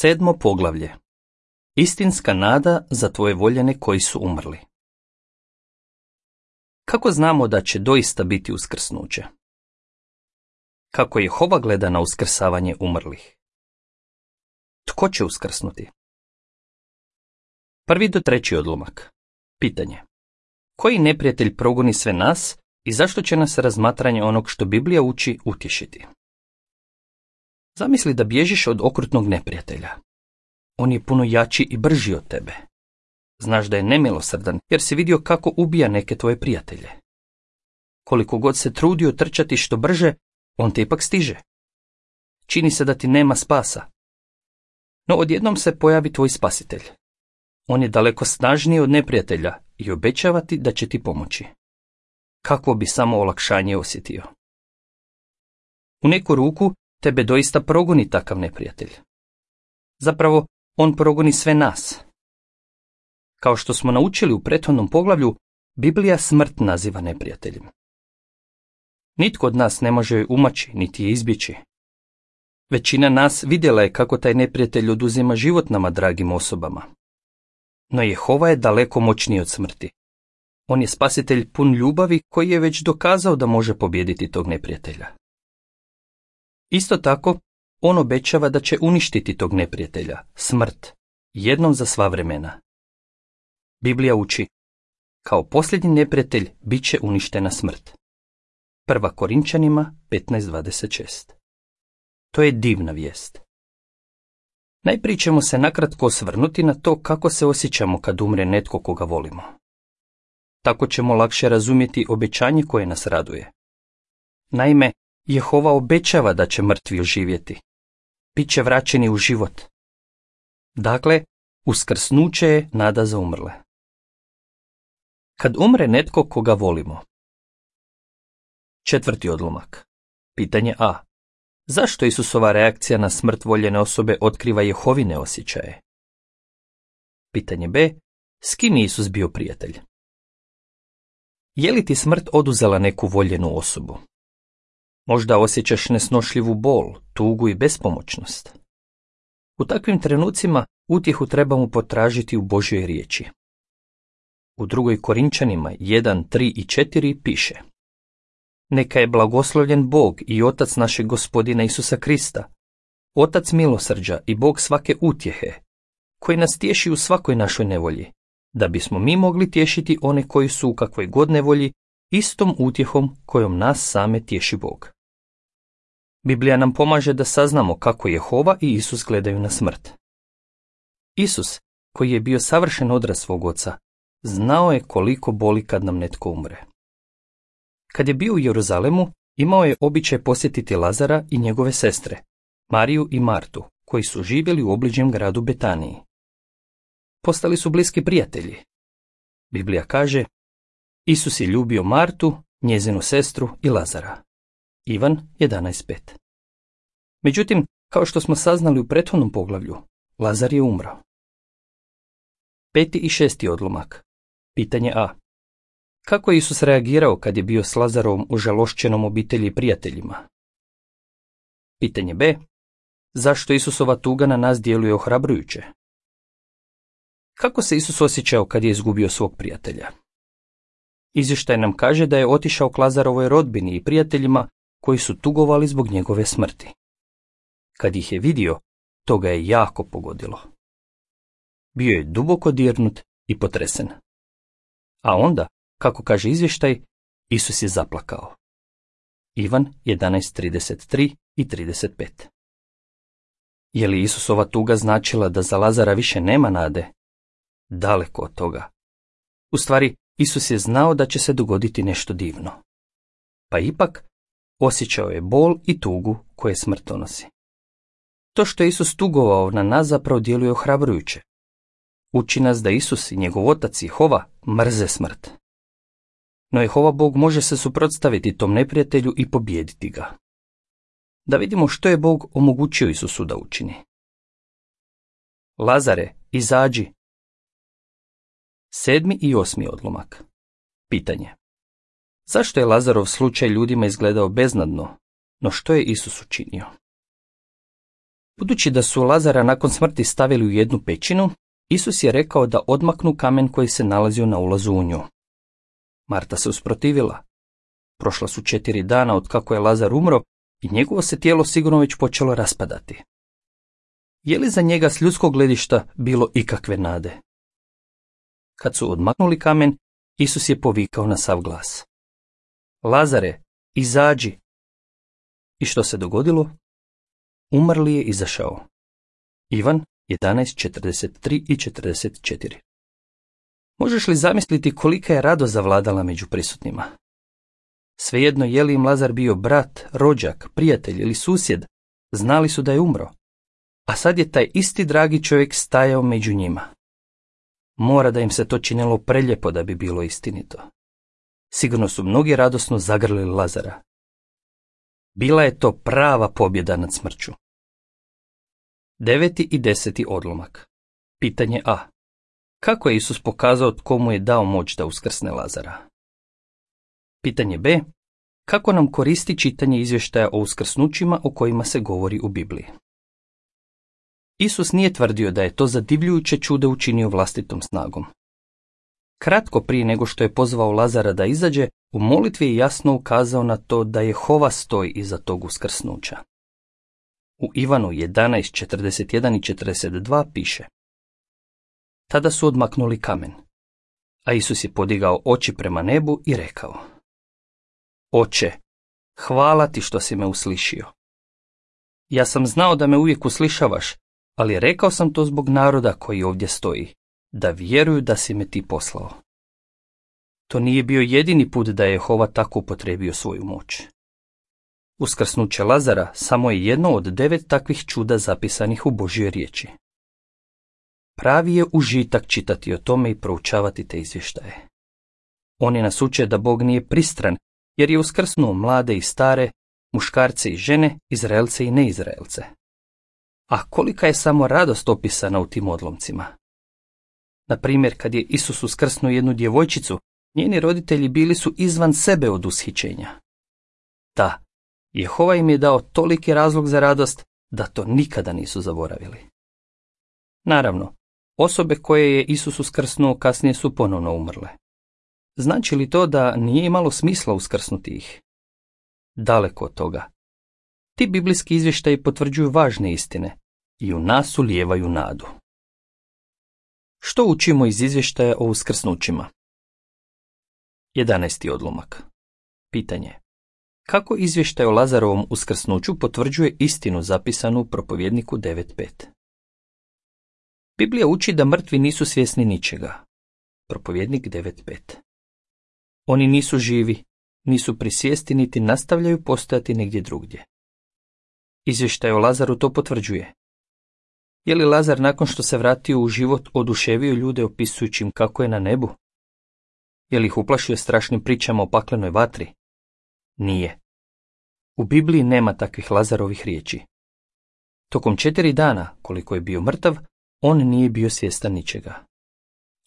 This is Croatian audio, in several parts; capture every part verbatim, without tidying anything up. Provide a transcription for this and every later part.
Sedmo poglavlje. Istinska nada za tvoje voljene koji su umrli. Kako znamo da će doista biti uskrsnuće? Kako Jehova gleda na uskrsavanje umrlih? Tko će uskrsnuti? Prvi do treći odlomak. Pitanje. Koji neprijatelj progoni sve nas i zašto će nas razmatranje onog što Biblija uči utješiti? Zamisli da bježiš od okrutnog neprijatelja. On je puno jači i brži od tebe. Znaš da je nemilosrdan jer si vidio kako ubija neke tvoje prijatelje. Koliko god se trudio trčati što brže, on te ipak stiže. Čini se da ti nema spasa. No odjednom se pojavi tvoj spasitelj. On je daleko snažniji od neprijatelja i obećava ti da će ti pomoći. Kakvo bi samo olakšanje osjetio. U neku ruku tebe doista progoni takav neprijatelj. Zapravo, on progoni sve nas. Kao što smo naučili u prethodnom poglavlju, Biblija smrt naziva neprijateljem. Nitko od nas ne može joj umaći, niti je izbjeći. Većina nas vidjela je kako taj neprijatelj oduzima život nama dragim osobama. No Jehova je daleko moćniji od smrti. On je spasitelj pun ljubavi koji je već dokazao da može pobijediti tog neprijatelja. Isto tako, on obećava da će uništiti tog neprijatelja, smrt, jednom za sva vremena. Biblija uči, kao posljednji neprijatelj bit će uništena smrt. Prva Korinčanima petnaest dvadeset šest. To je divna vijest. Najprije ćemo se nakratko osvrnuti na to kako se osjećamo kad umre netko koga volimo. Tako ćemo lakše razumjeti obećanje koje nas raduje. Naime, Jehova obećava da će mrtvi oživjeti. Biće vraćeni u život. Dakle, uskrsnuće je nada za umrle. Kad umre netko koga volimo. Četvrti odlomak. Pitanje A. Zašto Isusova reakcija na smrt voljene osobe otkriva Jehovine osjećaje? Pitanje B. S kim je Isus bio prijatelj? Je li ti smrt oduzela neku voljenu osobu? Možda osjećaš nesnošljivu bol, tugu i bespomoćnost. U takvim trenucima utjehu trebamo potražiti u Božjoj riječi. U drugoj Korinčanima jedan, tri i četiri piše: Neka je blagoslovljen Bog i Otac našeg Gospodina Isusa Krista, Otac milosrđa i Bog svake utjehe, koji nas tješi u svakoj našoj nevolji, da bismo mi mogli tješiti one koji su u kakvoj god nevolji istom utjehom kojom nas same tješi Bog. Biblija nam pomaže da saznamo kako Jehova i Isus gledaju na smrt. Isus, koji je bio savršen odraz svog oca, znao je koliko boli kad nam netko umre. Kad je bio u Jeruzalemu, imao je običaj posjetiti Lazara i njegove sestre, Mariju i Martu, koji su živjeli u obližnjem gradu Betaniji. Postali su bliski prijatelji. Biblija kaže: Isus je ljubio Martu, njezinu sestru i Lazara. Ivan jedanaest pet. Međutim, kao što smo saznali u prethodnom poglavlju, Lazar je umro. Peti i šesti odlomak. Pitanje A. Kako je Isus reagirao kad je bio s Lazarovom u žalošćenom obitelji i prijateljima? Pitanje B. Zašto Isusova tuga na nas djeluje ohrabrujuće? Kako se Isus osjećao kad je izgubio svog prijatelja? Izvještaj nam kaže da je otišao k Lazarovoj rodbini i prijateljima koji su tugovali zbog njegove smrti. Kad ih je vidio, to ga je jako pogodilo. Bio je duboko dirnut i potresen. A onda, kako kaže izvještaj, Isus je zaplakao. Ivan jedanaest trideset tri i trideset pet. Je li Isusova tuga značila da za Lazara više nema nade? Daleko od toga. U stvari, Isus je znao da će se dogoditi nešto divno. Pa ipak, osjećao je bol i tugu koje smrt donosi. To što je Isus tugovao na nas zapravo djeluje ohrabrujuće. Uči nas da Isus i njegov otac Jehova mrze smrt. No Jehova Bog može se suprotstaviti tom neprijatelju i pobijediti ga. Da vidimo što je Bog omogućio Isusu da učini. Lazare, izađi. Sedmi i osmi odlomak. Pitanje. Zašto je Lazarov slučaj ljudima izgledao beznadno, no što je Isus učinio? Budući da su Lazara nakon smrti stavili u jednu pećinu, Isus je rekao da odmaknu kamen koji se nalazio na ulazu u nju. Marta se usprotivila. Prošla su četiri dana od kako je Lazar umro i njegovo se tijelo sigurno već počelo raspadati. Je li za njega s ljudskog gledišta bilo ikakve nade? Kad su odmaknuli kamen, Isus je povikao na sav glas: Lazare, izađi! I što se dogodilo? Umrli je izašao. Ivan jedanaest četrdeset tri i četrdeset četiri. Možeš li zamisliti kolika je radost zavladala među prisutnima? Svejedno je li im Lazar bio brat, rođak, prijatelj ili susjed, znali su da je umro. A sad je taj isti dragi čovjek stajao među njima. Mora da im se to činilo preljepo da bi bilo istinito. Sigurno su mnogi radosno zagrlili Lazara. Bila je to prava pobjeda nad smrću. Deveti i deseti odlomak. Pitanje A. Kako je Isus pokazao tko mu je dao moć da uskrsne Lazara? Pitanje B. Kako nam koristi čitanje izvještaja o uskrsnućima o kojima se govori u Bibliji? Isus nije tvrdio da je to zadivljujuće čudo učinio vlastitom snagom. Kratko prije nego što je pozvao Lazara da izađe, u molitvi je jasno ukazao na to da Jehova stoji iza tog uskrsnuća. U Ivanu jedanaest četrdeset jedan i četrdeset dva piše: Tada su odmaknuli kamen, a Isus je podigao oči prema nebu i rekao: Oče, hvala ti što si me uslišio. Ja sam znao da me uvijek uslišavaš, ali rekao sam to zbog naroda koji ovdje stoji, da vjeruju da si me ti poslao. To nije bio jedini put da je Jehova tako upotrijebio svoju moć. Uskrsnuće Lazara samo je jedno od devet takvih čuda zapisanih u Božjoj riječi. Pravi je užitak čitati o tome i proučavati te izvještaje. Oni nas uče da Bog nije pristran, jer je uskrsnuo mlade i stare, muškarce i žene, Izraelce i neizraelce. A kolika je samo radost opisana u tim odlomcima. Na primjer, kad je Isus uskrsnuo jednu djevojčicu, njeni roditelji bili su izvan sebe od ushićenja. Da, Jehova im je dao toliki razlog za radost da to nikada nisu zaboravili. Naravno, osobe koje je Isus uskrsnuo kasnije su ponovno umrle. Znači li to da nije imalo smisla uskrsnuti ih? Daleko od toga. Ti biblijski izvještaji potvrđuju važne istine i u nas ulijevaju nadu. Što učimo iz izvještaja o uskrsnućima? jedanaesti odlomak. Pitanje. Kako izvještaj o Lazarovom uskrsnuću potvrđuje istinu zapisanu u Propovjedniku devet pet? Biblija uči da mrtvi nisu svjesni ničega. Propovjednik devet pet. Oni nisu živi, nisu pri svijesti niti nastavljaju postojati negdje drugdje. Izvještaj o Lazaru to potvrđuje. Je li Lazar nakon što se vratio u život oduševio ljude opisujući im kako je na nebu? Je li ih uplašio strašnim pričama o paklenoj vatri? Nije. U Bibliji nema takvih Lazarovih riječi. Tokom četiri dana, koliko je bio mrtav, on nije bio svjestan ničega.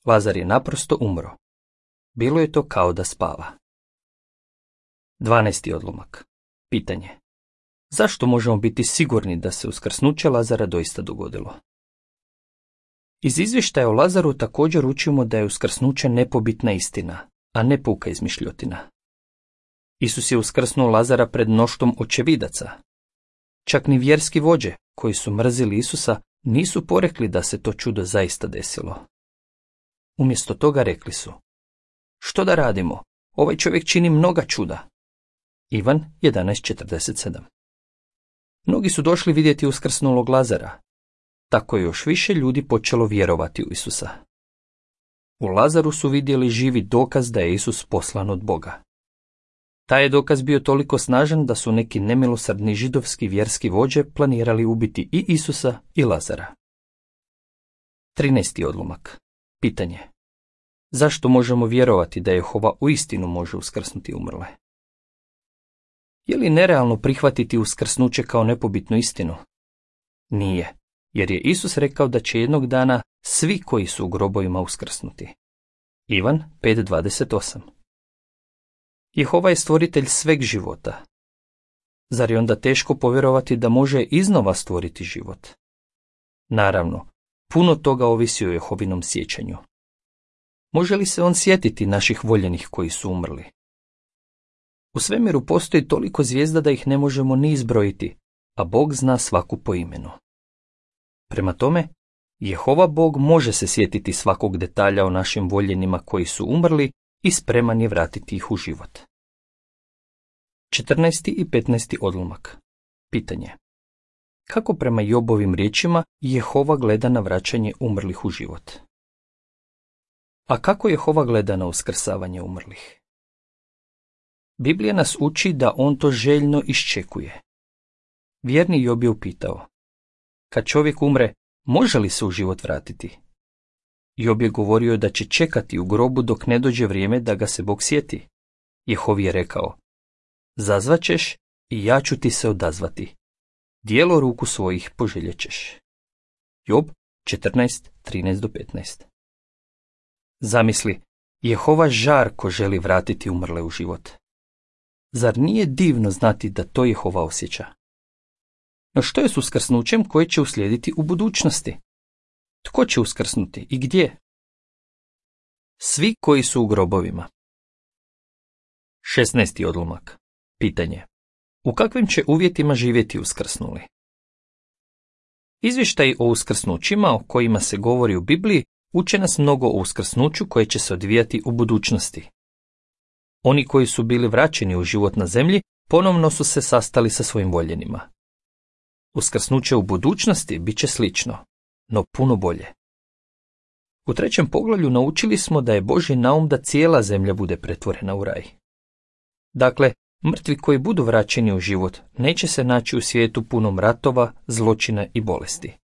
Lazar je naprosto umro. Bilo je to kao da spava. dvanaesti odlomak. Pitanje. Zašto možemo biti sigurni da se uskrsnuće Lazara doista dogodilo? Iz izvještaja o Lazaru također učimo da je uskrsnuće nepobitna istina, a ne puka izmišljotina. Isus je uskrsnuo Lazara pred mnoštvom očevidaca. Čak ni vjerski vođe, koji su mrzili Isusa, nisu porekli da se to čudo zaista desilo. Umjesto toga rekli su: Što da radimo? Ovaj čovjek čini mnoga čuda. Ivan jedanaest četrdeset sedam. Mnogi su došli vidjeti uskrsnulog Lazara. Tako je još više ljudi počelo vjerovati u Isusa. U Lazaru su vidjeli živi dokaz da je Isus poslan od Boga. Taj je dokaz bio toliko snažan da su neki nemilosrdni židovski vjerski vođe planirali ubiti i Isusa i Lazara. trinaesti odlomak. Pitanje. Zašto možemo vjerovati da Jehova uistinu može uskrsnuti umrle? Je li nerealno prihvatiti uskrsnuće kao nepobitnu istinu? Nije, jer je Isus rekao da će jednog dana svi koji su u grobovima uskrsnuti. Ivan pet dvadeset osam. Jehova je stvoritelj sveg života. Zar je onda teško povjerovati da može iznova stvoriti život? Naravno, puno toga ovisi o Jehovinom sjećanju. Može li se on sjetiti naših voljenih koji su umrli? U svemiru postoji toliko zvijezda da ih ne možemo ni izbrojiti, a Bog zna svaku po imenu. Prema tome, Jehova Bog može se sjetiti svakog detalja o našim voljenima koji su umrli i spreman je vratiti ih u život. četrnaesti i petnaesti odlomak. Pitanje. Kako prema Jobovim riječima Jehova gleda na vraćanje umrlih u život? A kako Jehova gleda na uskrsavanje umrlih? Biblija nas uči da on to željno iščekuje. Vjerni Job je upitao: kad čovjek umre, može li se u život vratiti? Job je govorio da će čekati u grobu dok ne dođe vrijeme da ga se Bog sjeti. Jehov je rekao: zazvaćeš i ja ću ti se odazvati. Dijelo ruku svojih poželjećeš. Job četrnaest, trinaest do petnaest. Zamisli, Jehova žarko želi vratiti umrle u život. Zar nije divno znati da to Jehova osjeća? No što je s uskrsnućem koje će uslijediti u budućnosti? Tko će uskrsnuti i gdje? Svi koji su u grobovima. šesnaesti odlomak. Pitanje. U kakvim će uvjetima živjeti uskrsnuli? Izvještaji o uskrsnućima o kojima se govori u Bibliji uče nas mnogo o uskrsnuću koje će se odvijati u budućnosti. Oni koji su bili vraćeni u život na zemlji ponovno su se sastali sa svojim voljenima. Uskrsnuće u budućnosti bit će slično, no puno bolje. U trećem poglavlju naučili smo da je Božji naum da cijela zemlja bude pretvorena u raj. Dakle, mrtvi koji budu vraćeni u život neće se naći u svijetu punom ratova, zločina i bolesti.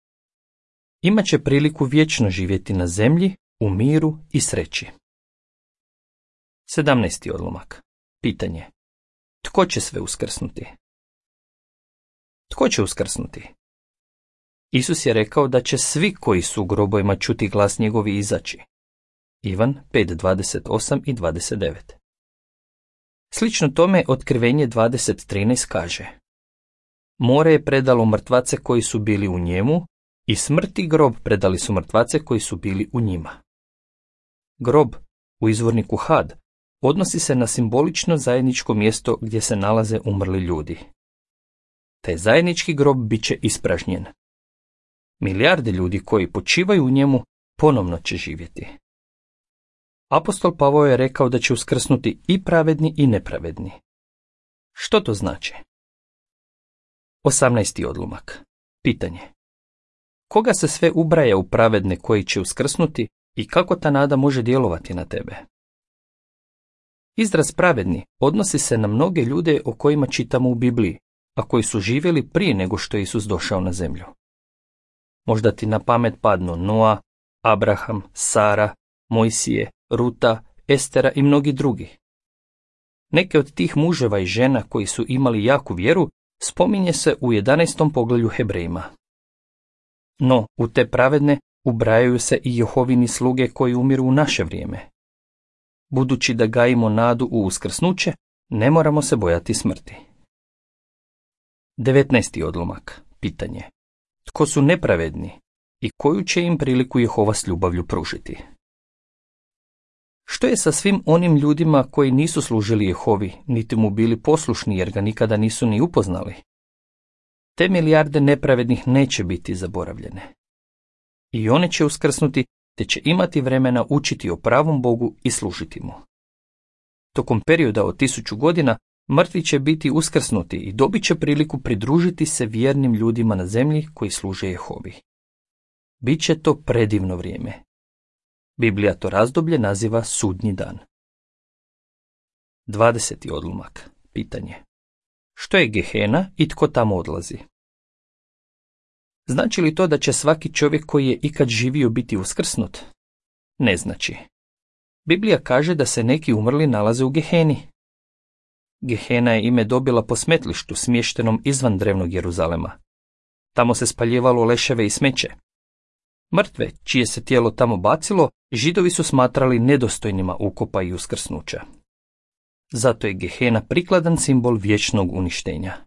Imaće priliku vječno živjeti na zemlji, u miru i sreći. sedamnaesti odlomak. Pitanje. Tko će sve uskrsnuti? Tko će uskrsnuti? Isus je rekao da će svi koji su u grobovima čuti glas njegovi izaći. Ivan pet dvadeset osam i dvadeset devet. Slično tome Otkrivenje dvadeset trinaest kaže: more je predalo mrtvace koji su bili u njemu i smrt i grob predali su mrtvace koji su bili u njima. Grob, u izvorniku had, odnosi se na simbolično zajedničko mjesto gdje se nalaze umrli ljudi. Taj zajednički grob bit će ispražnjen. Milijarde ljudi koji počivaju u njemu ponovno će živjeti. Apostol Pavao je rekao da će uskrsnuti i pravedni i nepravedni. Što to znači? osamnaesti odlomak. Pitanje. Koga se sve ubraja u pravedne koji će uskrsnuti i kako ta nada može djelovati na tebe? Izraz pravedni odnosi se na mnoge ljude o kojima čitamo u Bibliji, a koji su živjeli prije nego što je Isus došao na zemlju. Možda ti na pamet padnu Noa, Abraham, Sara, Mojsije, Ruta, Estera i mnogi drugi. Neke od tih muževa i žena koji su imali jaku vjeru spominje se u jedanaestom poglavlju Hebrejima. No, u te pravedne ubrajaju se i Jehovini sluge koji umiru u naše vrijeme. Budući da gajimo nadu u uskrsnuće, ne moramo se bojati smrti. devetnaesti odlomak. Pitanje. Tko su nepravedni i koju će im priliku Jehova s ljubavlju pružiti? Što je sa svim onim ljudima koji nisu služili Jehovi, niti mu bili poslušni jer ga nikada nisu ni upoznali? Te milijarde nepravednih neće biti zaboravljene. I one će uskrsnuti, te će imati vremena učiti o pravom Bogu i služiti mu. Tokom perioda od tisuću godina mrtvi će biti uskrsnuti i dobit će priliku pridružiti se vjernim ljudima na zemlji koji služe Jehovi. Biće to predivno vrijeme. Biblija to razdoblje naziva sudnji dan. dvadeseti odlomak. Pitanje. Što je Gehena i tko tamo odlazi? Znači li to da će svaki čovjek koji je ikad živio biti uskrsnut? Ne znači. Biblija kaže da se neki umrli nalaze u Geheni. Gehena je ime dobila po smetlištu smještenom izvan drevnog Jeruzalema. Tamo se spaljivalo leševe i smeće. Mrtve, čije se tijelo tamo bacilo, Židovi su smatrali nedostojnima ukopa i uskrsnuća. Zato je Gehena prikladan simbol vječnog uništenja.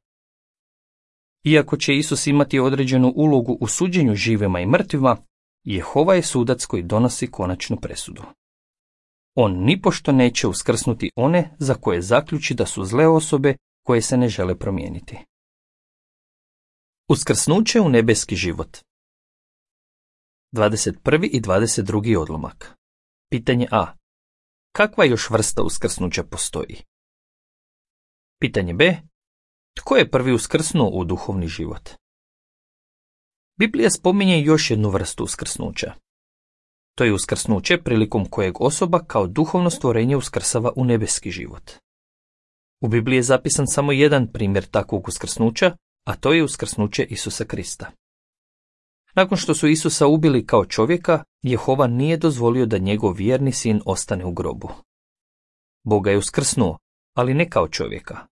Iako će Isus imati određenu ulogu u suđenju živima i mrtvima, Jehova je sudac koji donosi konačnu presudu. On nipošto neće uskrsnuti one za koje zaključi da su zle osobe koje se ne žele promijeniti. Uskrsnuće u nebeski život. dvadeset prvi i dvadeset drugi odlomak. Pitanje A. Kakva još vrsta uskrsnuća postoji? Pitanje B. Tko je prvi uskrsnuo u duhovni život? Biblija spominje još jednu vrstu uskrsnuća. To je uskrsnuće prilikom kojeg osoba kao duhovno stvorenje uskrsava u nebeski život. U Bibliji je zapisan samo jedan primjer takvog uskrsnuća, a to je uskrsnuće Isusa Krista. Nakon što su Isusa ubili kao čovjeka, Jehova nije dozvolio da njegov vjerni sin ostane u grobu. Bog ga je uskrsnuo, ali ne kao čovjeka.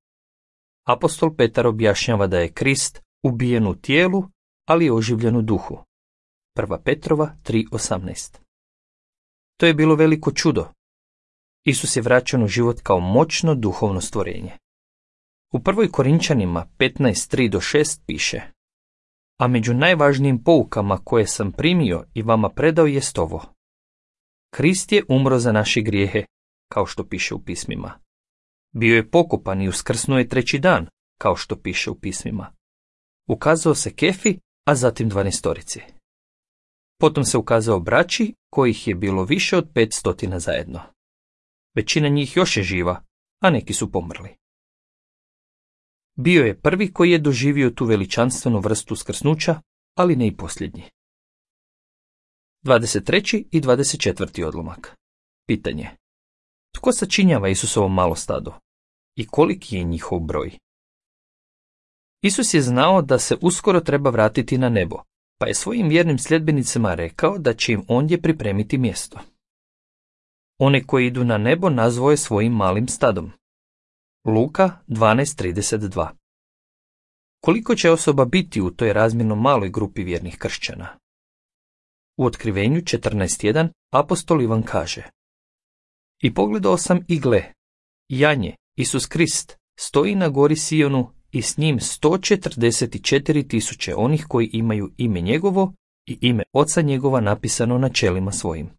Apostol Petar objašnjava da je Krist ubijen u tijelu, ali je oživljen u duhu. Prva Petrova tri osamnaest. To je bilo veliko čudo. Isus je vraćen u život kao moćno duhovno stvorenje. U prvoj Korinčanima petnaest tri do šest piše: A među najvažnijim poukama koje sam primio i vama predao jest ovo. Krist je umro za naše grijehe, kao što piše u pismima. Bio je pokopan i uskrsnuo je treći dan, kao što piše u pismima. Ukazao se Kefi, a zatim dvanaestorici. Potom se ukazao braći, kojih je bilo više od pet stotina zajedno. Većina njih još je živa, a neki su pomrli. Bio je prvi koji je doživio tu veličanstvenu vrstu uskrsnuća, ali ne i posljednji. dvadeset treći i dvadeset četvrti odlomak. Pitanje. Tko sačinjava Isusovo malo stado? I koliki je njihov broj? Isus je znao da se uskoro treba vratiti na nebo, pa je svojim vjernim sljedbenicima rekao da će im ondje pripremiti mjesto. One koji idu na nebo nazvao je svojim malim stadom. Luka dvanaest trideset dva. Koliko će osoba biti u toj razmjerno maloj grupi vjernih kršćana? U Otkrivenju četrnaest jedan apostol Ivan kaže: I pogledao sam i gle, janje, Isus Krist, stoji na gori Sionu i s njim sto četrdeset četiri tisuće onih koji imaju ime njegovo i ime oca njegova napisano na čelima svojim.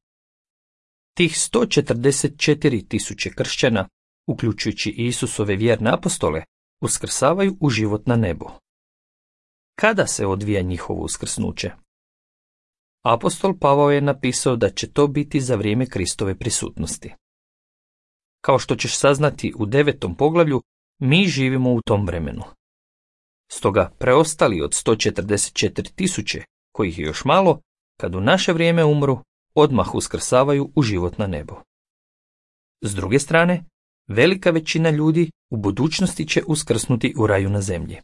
Tih sto četrdeset četiri tisuće kršćana, uključujući i Isusove vjerne apostole, uskrsavaju u život na nebu. Kada se odvija njihovo uskrsnuće? Apostol Pavao je napisao da će to biti za vrijeme Kristove prisutnosti. Kao što ćeš saznati u devetom poglavlju, mi živimo u tom vremenu. Stoga preostali od sto četrdeset četiri tisuće, kojih je još malo, kad u naše vrijeme umru, odmah uskrsavaju u život na nebo. S druge strane, velika većina ljudi u budućnosti će uskrsnuti u raju na zemlji.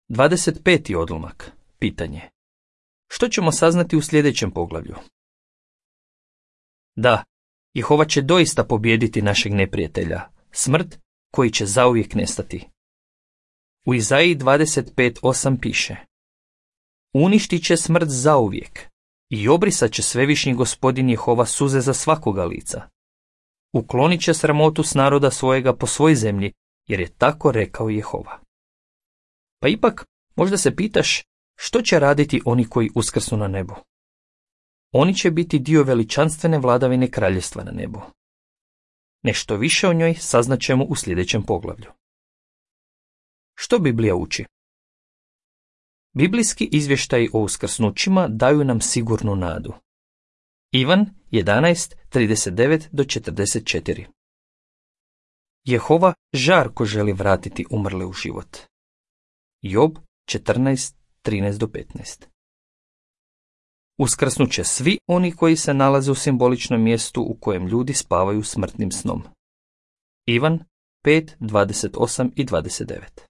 dvadeset peti odlomak. Pitanje. Što ćemo saznati u sljedećem poglavlju? Da, Jehova će doista pobijediti našeg neprijatelja, smrt, koji će zauvijek nestati. U Izaiji dvadeset pet osam piše: Uništit će smrt zauvijek i obrisat će svevišnji gospodin Jehova suze za svakoga lica. Uklonit će sramotu s naroda svojega po svoj zemlji, jer je tako rekao Jehova. Pa ipak, možda se pitaš, što će raditi oni koji uskrsnu na nebu? Oni će biti dio veličanstvene vladavine kraljevstva na nebu. Nešto više o njoj saznaćemo u sljedećem poglavlju. Što Biblija uči? Biblijski izvještaji o uskrsnućima daju nam sigurnu nadu. Ivan jedanaest trideset devet do četrdeset četiri. Jehova žarko želi vratiti umrle u život. Job četrnaest trinaest do petnaest. Uskrsnut će svi oni koji se nalaze u simboličnom mjestu u kojem ljudi spavaju smrtnim snom. Ivan pet dvadeset osam i dvadeset devet.